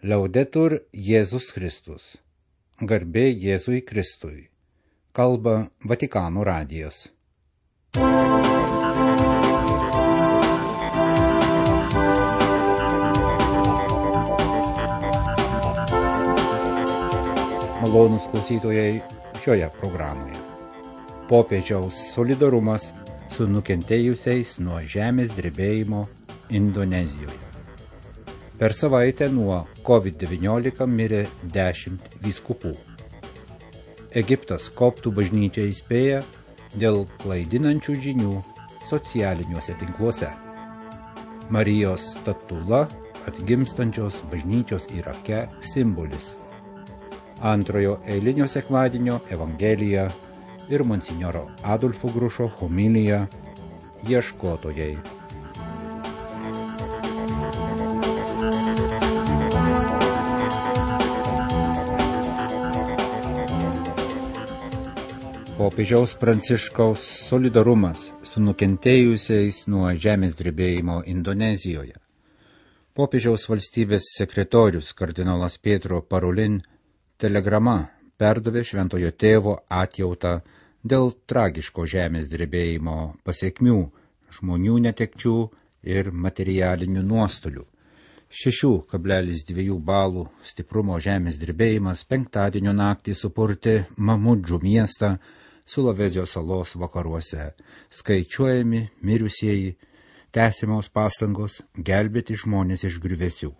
Laudetur Jėzus Kristus. Garbė Jėzui Kristui. Kalba Vatikano radijas. Malonūs klausytojai šioje programoje. Popiežiaus solidarumas su nukentėjusiais nuo žemės drebėjimo Indonezijoje. Per savaitę nuo COVID-19 mirė 10 vyskupų. Egiptas koptų bažnyčia įspėja dėl klaidinančių žinių socialiniuose tinkluose. Marijos statula atgimstančios bažnyčios Irake simbolis. Antrojo eilinio sekmadienio evangelija ir monsinjoro Adolfo Grušo homilija Ieškotojai. Popiežiaus Pranciškaus solidarumas su nukentėjusiais nuo žemės drebėjimo Indonezijoje. Popiežiaus valstybės sekretorius kardinolas Pietro Parolin telegrama perdavė šventojo tėvo atjautą dėl tragiško žemės drebėjimo pasekmių, žmonių netekčių ir materialinių nuostolių. 6,2 balų stiprumo žemės drebėjimas penktadienio naktį supurtė Mamudžų miestą Sulavezijos salos vakaruose. Skaičiuojami mirusieji, tęsiamos pastangos gelbėti žmonės iš griuvėsių.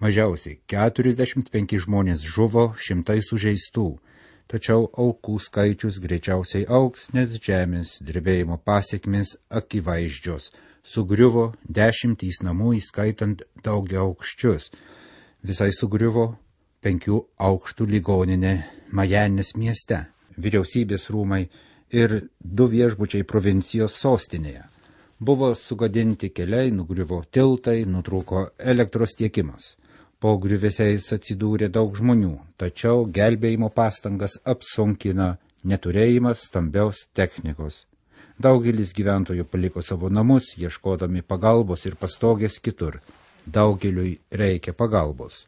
Mažiausiai 45 žmonės žuvo, 100 sužeistų, tačiau aukų skaičius greičiausiai augs, nes žemės drebėjimo pasekmės akivaizdžios. Sugriuvo 10 namų, įskaitant daugiaaukščius. Visai sugriuvo 5 aukštų ligoninė Majanės mieste, vyriausybės rūmai ir 2 viešbučiai provincijos sostinėje. Buvo sugadinti keliai, nugriuvo tiltai, nutrūko elektros tiekimas. Po griuvėsiais atsidūrė daug žmonių, tačiau gelbėjimo pastangas apsunkina neturėjimas stambios technikos. Daugelis gyventojų paliko savo namus, ieškodami pagalbos ir pastogės kitur. Daugeliui reikia pagalbos.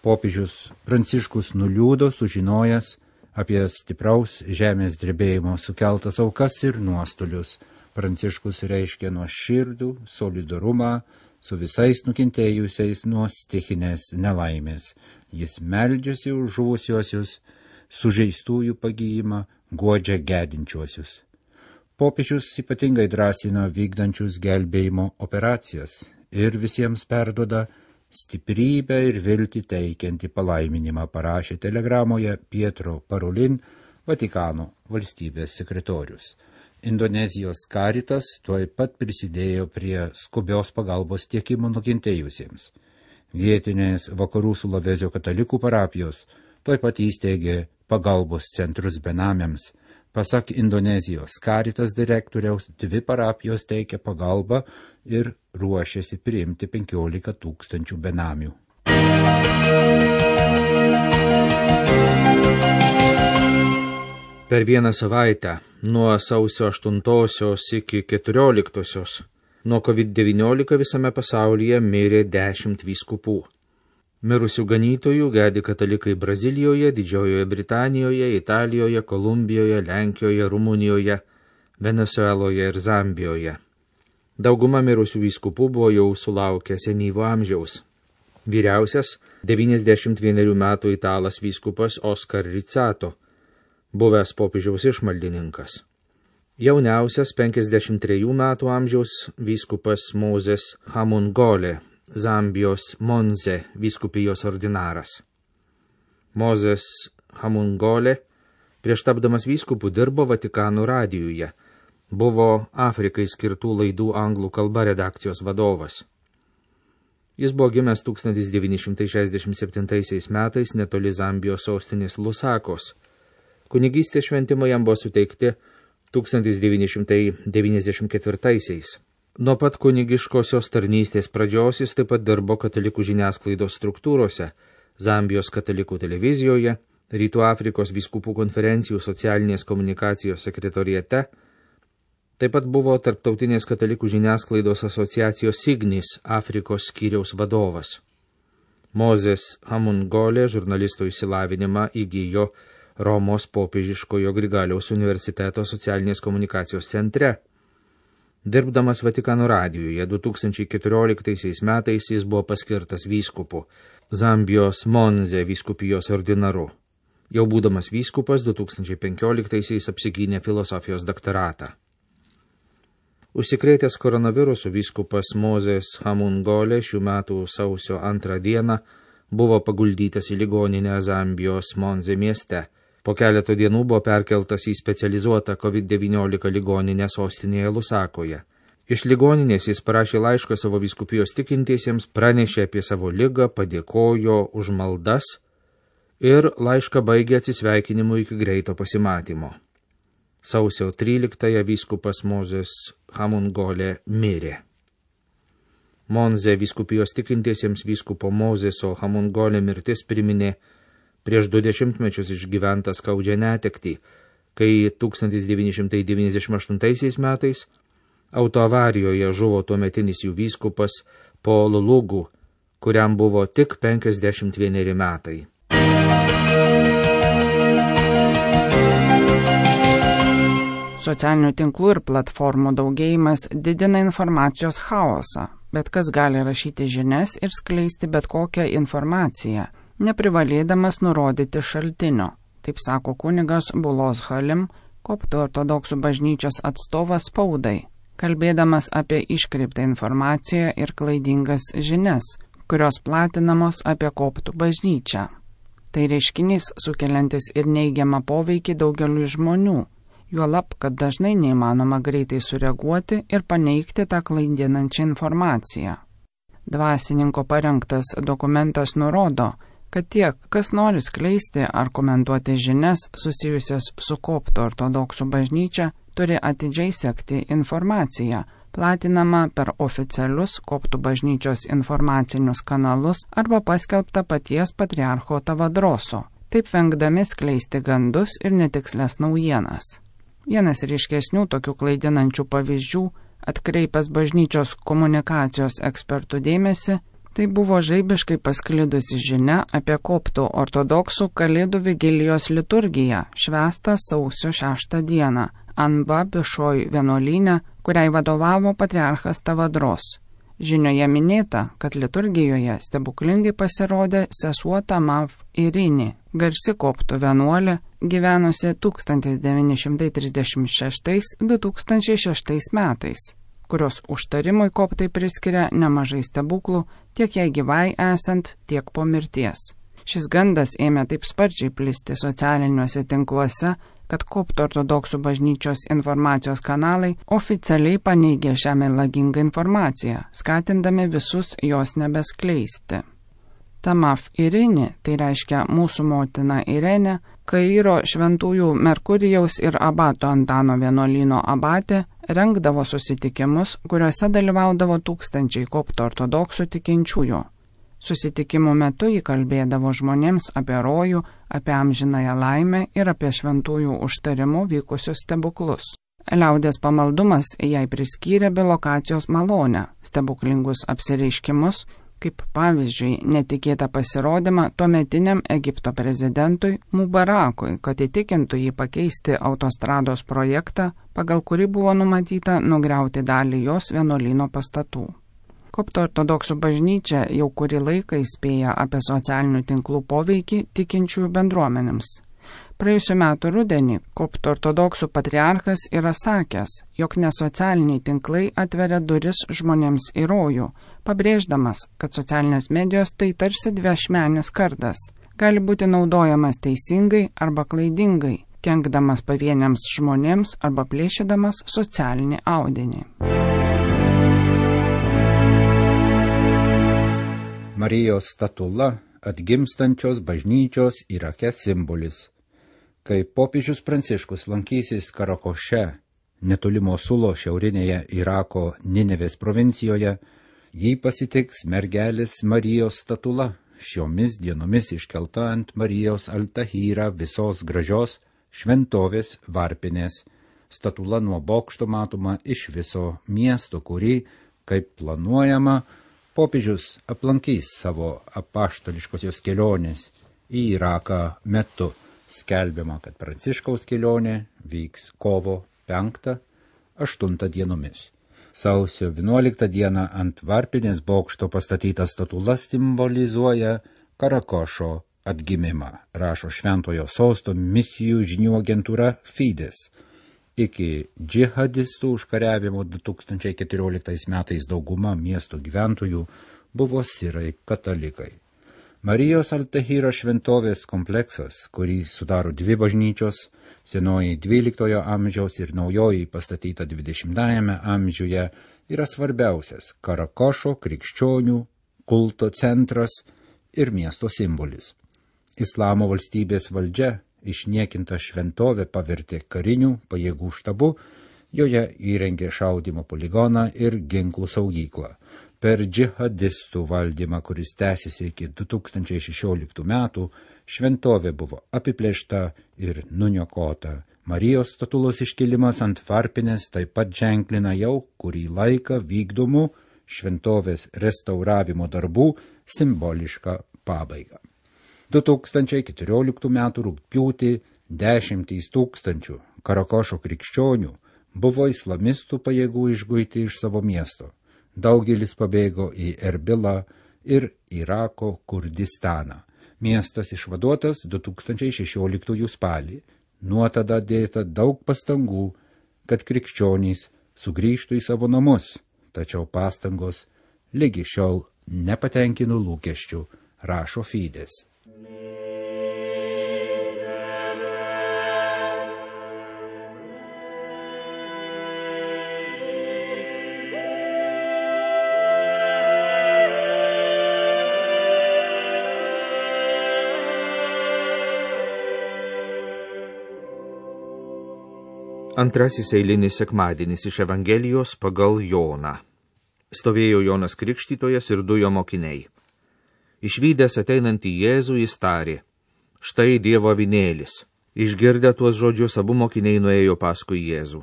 Popiežius Pranciškus nuliūdo, sužinojęs apie stipraus žemės drebėjimo sukeltas aukas ir nuostolius. Pranciškus reiškia nuoširdų solidarumą su visais nukentėjusiais nuo stichinės nelaimės. Jis meldžiasi už žuvusiuosius, sužeistųjų pagijimą, guodžia gedinčiuosius. Popiežius ypatingai drąsina vykdančius gelbėjimo operacijas ir visiems perduoda stiprybę ir viltį teikiantį palaiminimą, parašė telegramoje Pietro Parolin, Vatikano valstybės sekretorius. Indonezijos Caritas tuoj pat prisidėjo prie skubios pagalbos tiekimo nukentėjusiems. Vietinės vakarų Sulavezio katalikų parapijos tuoj pat įsteigė pagalbos centrus benamiams. Pasak Indonezijos Caritas direktoriaus, 2 parapijos teikia pagalbą ir ruošiasi priimti 15 000 benamių. Per vieną savaitę, nuo sausio 8 iki 14, nuo COVID-19 visame pasaulyje mirė 10 vyskupų. Mirusių ganytojų gedi katalikai Brazilijoje, Didžiojoje Britanijoje, Italijoje, Kolumbijoje, Lenkijoje, Rumunijoje, Venezueloje ir Zambijoje. Dauguma mirusių vyskupų buvo jau sulaukę senyvo amžiaus. Vyriausias 91 metų italas vyskupas Oskar Rizzato, buvęs popiežiaus išmaldininkas. Jauniausias 53 metų amžiaus vyskupas Mozes Hamungole, Zambijos Monze vyskupijos ordinaras. Mozes Hamungole prieš tapdamas vyskupu dirbo Vatikano radijuje, buvo Afrikai skirtų laidų anglų kalba redakcijos vadovas. Jis buvo gimęs 1967 metais netoli Zambijos sostinės Lusakos. Kunigystės šventimai jam buvo suteikti 1994. Nuo pat kunigiškosios tarnystės pradžios jis taip pat dirbo katalikų žiniasklaidos struktūrose, Zambijos katalikų televizijoje, Rytų Afrikos vyskupų konferencijų socialinės komunikacijos sekretoriate, taip pat buvo Tarptautinės katalikų žiniasklaidos asociacijos Signis Afrikos skyriaus vadovas. Mozės Hamungolė žurnalisto išsilavinimą įgyjo Romos popiežiškojo Grigaliaus universiteto socialinės komunikacijos centre. Dirbdamas Vatikano radijuje 2014 metais jis buvo paskirtas vyskupu, Zambijos Monze vyskupijos ordinaru. Jau būdamas vyskupas 2015 apsigynė filosofijos daktaratą. Užsikrėtęs koronavirusu vyskupas Mozės Hamungolė šių metų sausio 2 dieną buvo paguldytas į ligoninę Zambijos Monze mieste. Po keleto dienų buvo perkeltas į specializuotą COVID-19 ligoninę sostinėje Lusakoje. Iš ligoninės jis parašė laišką savo vyskupijos tikintiesiems, pranešė apie savo ligą, padėkojo už maldas ir laišką baigė atsisveikinimu iki greito pasimatymo. Sausio 13 vyskupas Mozės Hamungolė mirė. Monze vyskupijos tikintiesiems vyskupo Mozėso Hamungolė mirtis priminė prieš 20 mečius išgyventą skaudžią netektį, kai 1998 metais autoavarijoje žuvo tuometinis jų vyskupas Paul Lugu, kuriam buvo tik 51 metai. Socialinių tinklų ir platformų daugėjimas didina informacijos chaosą, bet kas gali rašyti žinias ir skleisti bet kokią informaciją, neprivalėdamas nurodyti šaltinio, taip sako kunigas Bulos Halim, koptų ortodoksų bažnyčios atstovas spaudai, kalbėdamas apie iškreiptą informaciją ir klaidingas žinias, kurios platinamos apie koptų bažnyčią. Tai reiškinys sukeliantis ir neigiamą poveikį daugeliui žmonių, juolab, kad dažnai neįmanoma greitai sureaguoti ir paneigti tą klaidinančią informaciją. Dvasininko parengtas dokumentas nurodo, kad tiek, kas nori skleisti ar komentuoti žinias susijusias su koptų ortodoksų bažnyčia, turi atidžiai sekti informaciją, platinama per oficialius koptų bažnyčios informacinius kanalus arba paskelbta paties patriarcho Tavadroso, taip vengdami skleisti gandus ir netikslės naujienas. Vienas ryškesnių tokių klaidinančių pavyzdžių, atkreipęs bažnyčios komunikacijos ekspertų dėmesį, tai buvo žaibiškai pasklidusi žinia apie koptų ortodoksų Kalėdų vigilijos liturgiją, švęstą sausio 6 dieną, Anba Bišoj vienuolyne, kuriai vadovavo patriarchas Tavadros. Žinioje minėta, kad liturgijoje stebuklingai pasirodė sesuo Tamav Irini, garsi koptų vienuolė, gyvenusi 1936–2006 metais, kurios užtarimui koptai priskiria nemažai stebuklų, tiek jai gyvai esant, tiek po mirties. Šis gandas ėmė taip sparčiai plisti socialiniuose tinkluose, kad koptų ortodoksų bažnyčios informacijos kanalai oficialiai paneigė šią melagingą informaciją, skatindami visus jos nebeskleisti. Tamav Irini, tai reiškia mūsų motina Irenė, Kairo šventųjų Merkurijaus ir abato Antano vienuolyno abatė, rengdavo susitikimus, kuriuose dalyvaudavo tūkstančiai koptų ortodoksų tikinčiųjų. Susitikimų metu jį kalbėdavo žmonėms apie rojų, apie amžinąją laimę ir apie šventųjų užtarimų vykusius stebuklus. Liaudės pamaldumas jai priskyrė bilokacijos malonę, stebuklingus apsireiškimus, kaip pavyzdžiui netikėtą pasirodymą tuometiniam Egipto prezidentui Mubarakui, kad įtikintų jį pakeisti autostrados projektą, pagal kurį buvo numatyta nugriauti dalį jos vienuolyno pastatų. Koptų ortodoksų bažnyčia jau kurį laiką įspėja apie socialinių tinklų poveikį tikinčiųjų bendruomenėms. Praėjusiu metu rudenį koptų ortodoksų patriarchas yra sakęs, jog nesocialiniai tinklai atveria duris žmonėms į rojų, pabrėždamas, kad socialinės medijos tai tarsi dviašmenis kardas, gali būti naudojamas teisingai arba klaidingai, kenkdamas pavieniams žmonėms arba plėšydamas socialinį audinį. Marijos statula atgimstančios bažnyčios Irake simbolis. Kai popiežius Pranciškus lankysis Karakoše, netoli Mosulo šiaurinėje Irako Ninevės provincijoje, jį pasitiks mergelės Marijos statula, šiomis dienomis iškelta ant Marijos Al-Tahira visos gražios šventovės varpinės. Statula nuo bokšto matoma iš viso miesto, kurį, kaip planuojama, popiežius aplankys savo apaštališkosios kelionės į Iraką metu. Skelbiama, kad Pranciškaus kelionė vyks kovo 5-8 dienomis. Sausio 11 dieną ant Varpinės bokšto pastatyta statula simbolizuoja Karakošo atgimimą, rašo Šventojo Sosto misijų žinių agentūra Fides. Iki džihadistų užkariavimo 2014 metais dauguma miesto gyventojų buvo sirai katalikai. Marijos Al-Tahiro šventovės kompleksas, kurį sudaro dvi bažnyčios, senoji 12 amžiaus ir naujoji pastatyta 20 amžiuje, yra svarbiausias Karakošo krikščionių kulto centras ir miesto simbolis. Islamo valstybės valdžia išniekinta šventovė pavertė karinių pajėgų štabu, joje įrengė šaudymo poligoną ir ginklų saugyklą. Per džihadistų valdymą, kuris tęsiasi iki 2016 metų, šventovė buvo apiplėšta ir nuniokota. Marijos statulos iškilimas ant Varpinės taip pat ženklina jau kurį laiką vykdomų šventovės restauravimo darbų simbolišką pabaigą. 2014 metų rugpjūtį 10 000 Karakošo krikščionių buvo islamistų pajėgų išguiti iš savo miesto. Daugelis pabėgo į Erbilą ir Irako Kurdistaną. Miestas išvaduotas 2016 spalį. Nuo tada dėta daug pastangų, kad krikščionys sugrįžtų į savo namus, tačiau pastangos lygi šiol nepatenkino lūkesčių, rašo Fides. Antrasis eilinis sekmadienis iš Evangelijos pagal Joną. Stovėjo Jonas Krikštytojas ir 2 jo mokiniai. Išvydęs ateinantį Jėzų jis tarė: štai Dievo avinėlis. Išgirdę tuos žodžius, abu mokiniai nuėjo paskui Jėzų.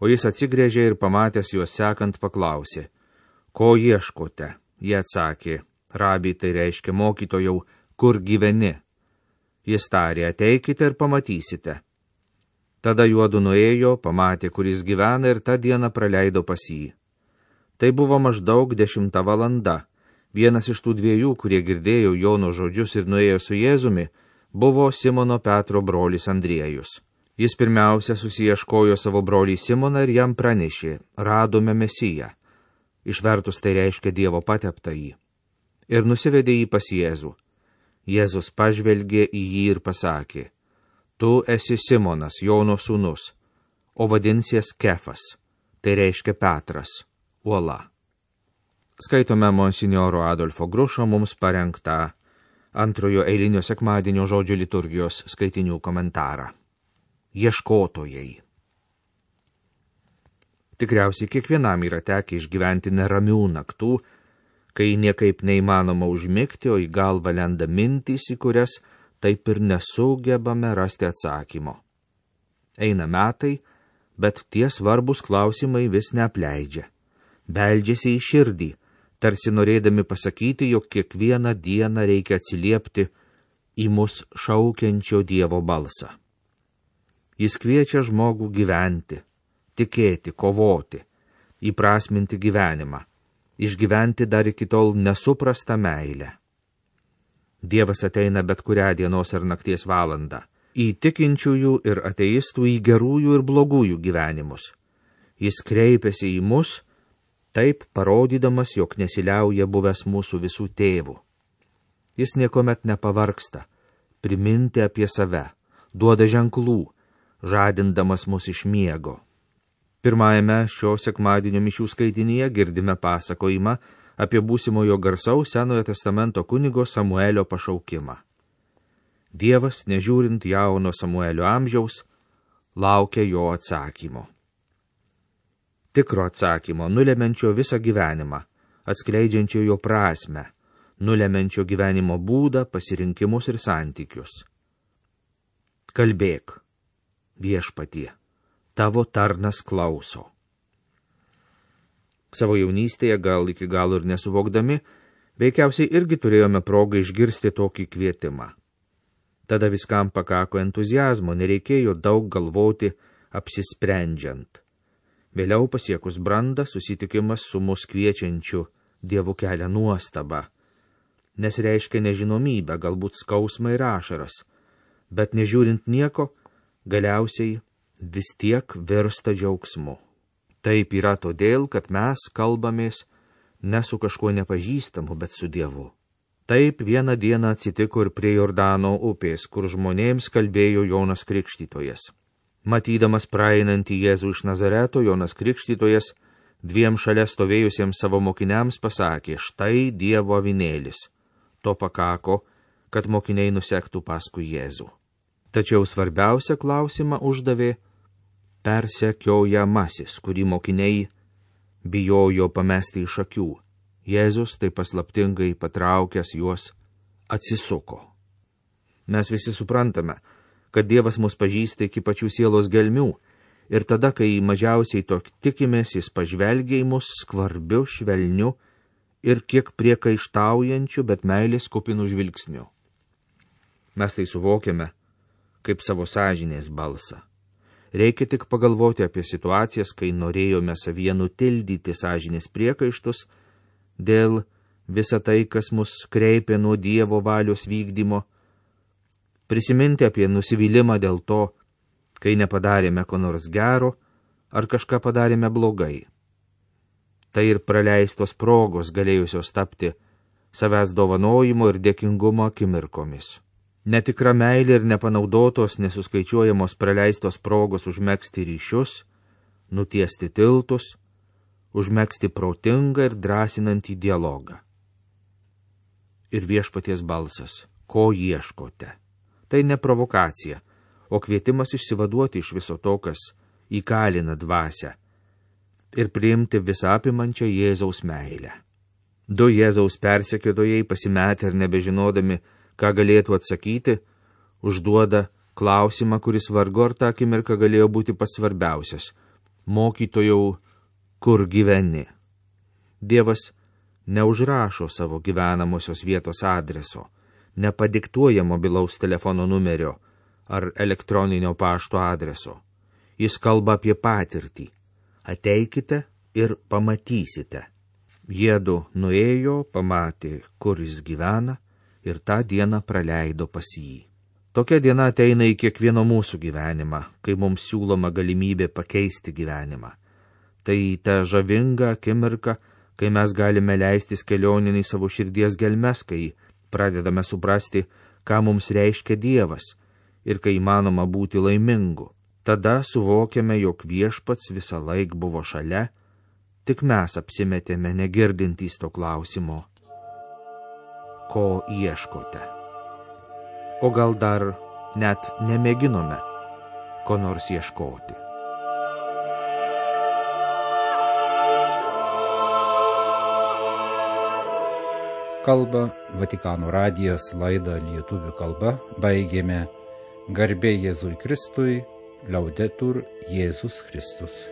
O jis atsigręžė ir pamatęs juos sekant paklausė: ko ieškote? Jie atsakė: rabi, tai reiškia mokytojau, kur gyveni? Jis tarė: ateikite ir pamatysite. Tada juodu nuėjo, pamatė, kur jis gyvena, ir tą dieną praleido pas jį. Tai buvo maždaug 10 valanda. Vienas iš tų 2, kurie girdėjo Jono žodžius ir nuėjo su Jėzumi, buvo Simono Petro brolis Andriejus. Jis pirmiausia susiieškojo savo brolį Simoną ir jam pranešė: radome Mesiją. Išvertus tai reiškia Dievo pateptąjį. Ir nusivedė jį pas Jėzų. Jėzus pažvelgė į jį ir pasakė: tu esi Simonas, Jono sūnus, o vadinsies Kefas, tai reiškia Petras, uola. Skaitome monsinjoro Adolfo Grušo mums parengtą antrojo eilinio sekmadienio žodžių liturgijos skaitinių komentarą. Ieškotojai. Tikriausiai kiekvienam yra tekę išgyventi neramių naktų, kai niekaip neįmanoma užmigti, o į galvą lenda mintys, į kurias taip ir nesugebame rasti atsakymo. Eina metai, bet tie svarbus klausimai vis neapleidžia. Beldžiasi į širdį, tarsi norėdami pasakyti, jog kiekvieną dieną reikia atsiliepti į mus šaukiančio Dievo balsą. Jis kviečia žmogų gyventi, tikėti, kovoti, įprasminti gyvenimą, išgyventi dar iki tol nesuprastą meilę. Dievas ateina bet kurią dienos ar nakties valandą, į tikinčiųjų ir ateistų, į gerųjų ir blogųjų gyvenimus. Jis kreipiasi į mus, taip parodydamas, jog nesiliauja buvęs mūsų visų tėvų. Jis niekuomet nepavargsta priminti apie save, duoda ženklų, žadindamas mus iš miego. Pirmajame šio sekmadienio mišių skaitinyje girdime pasakojimą apie būsimojo garsaus Senojo testamento kunigo Samuelio pašaukimą. Dievas, nežiūrint jauno Samuelio amžiaus, laukia jo atsakymo. Tikro atsakymo, nulemenčio visą gyvenimą, atskleidžiančio jo prasmę, nulemenčio gyvenimo būdą, pasirinkimus ir santykius. Kalbėk, Viešpatie, tavo tarnas klauso. Savo jaunystėje, gal iki galo ir nesuvokdami, veikiausiai irgi turėjome progą išgirsti tokį kvietimą. Tada viskam pakako entuzijazmo, nereikėjo daug galvoti apsisprendžiant. Vėliau pasiekus brandą susitikimas su mus kviečiančiu Dievu kelia nuostabą, nes reiškia nežinomybę, galbūt skausmą ir ašaras, bet nežiūrint nieko, galiausiai vis tiek virsta džiaugsmu. Taip yra todėl, kad mes kalbamės ne su kažkuo nepažįstamu, bet su Dievu. Taip vieną dieną atsitiko ir prie Jordano upės, kur žmonėms kalbėjo Jonas Krikštytojas. Matydamas praeinantį Jėzų iš Nazareto, Jonas Krikštytojas dviem šalia stovėjusiems savo mokiniams pasakė: štai Dievo avinėlis. To pakako, kad mokiniai nusektų paskui Jėzų. Tačiau svarbiausią klausimą uždavė persekiojamasis, kurį mokiniai bijojo pamesti iš akių. Jėzus, tai paslaptingai patraukęs juos, atsisuko. Mes visi suprantame, kad Dievas mus pažįsta iki pačių sielos gelmių, ir tada, kai mažiausiai to tikimės, jis pažvelgia į mus skvarbiu, švelniu ir kiek priekaištaujančiu, bet meilės kupinu žvilgsniu. Mes tai suvokiame kaip savo sąžinės balsą. Reikia tik pagalvoti apie situacijas, kai norėjome savyje nutildyti sąžinės priekaištus dėl visą tai, kas mus kreipė nuo Dievo valios vykdymo, prisiminti apie nusivylimą dėl to, kai nepadarėme ko nors gero ar kažką padarėme blogai. Tai ir praleistos progos galėjusios tapti savęs dovanojimo ir dėkingumo akimirkomis. Netikra meilė ir nepanaudotos, nesuskaičiuojamos praleistos progos užmegzti ryšius, nutiesti tiltus, užmegzti protingą ir drąsinantį dialogą. Ir viešpaties balsas: ko ieškote? Tai ne provokacija, o kvietimas išsivaduoti iš viso to, kas įkalina dvasią, ir priimti visą apimančią Jėzaus meilę. Du Jėzaus persekiotojai, pasimetę ir nebežinodami, ką galėtų atsakyti, užduoda klausimą, kuris vargu ar tą akimirką galėjo būti pats svarbiausias: mokytojau, kur gyveni? Dievas neužrašo savo gyvenamosios vietos adreso, nepadiktuoja mobilaus telefono numerio ar elektroninio pašto adreso. Jis kalba apie patirtį: ateikite ir pamatysite. Jiedu nuėjo, pamatė, kur jis gyvena, ir tą dieną praleido pas jį. Tokia diena ateina į kiekvieno mūsų gyvenimą, kai mums siūloma galimybė pakeisti gyvenimą. Tai ta žavinga akimirka, kai mes galime leistis kelionin į savo širdies gelmes, kai pradedame suprasti, ką mums reiškia Dievas ir kai įmanoma būti laimingu. Tada suvokiame, jog viešpats visą laik buvo šalia, tik mes apsimetėme negirdintys to klausimo: ko ieškote? O gal dar net nemėginome ko nors ieškoti. Kalba Vatikano radijas, laidą lietuvių kalba baigėme. Garbė Jėzui Kristui, Laudetur Jėzus Kristus.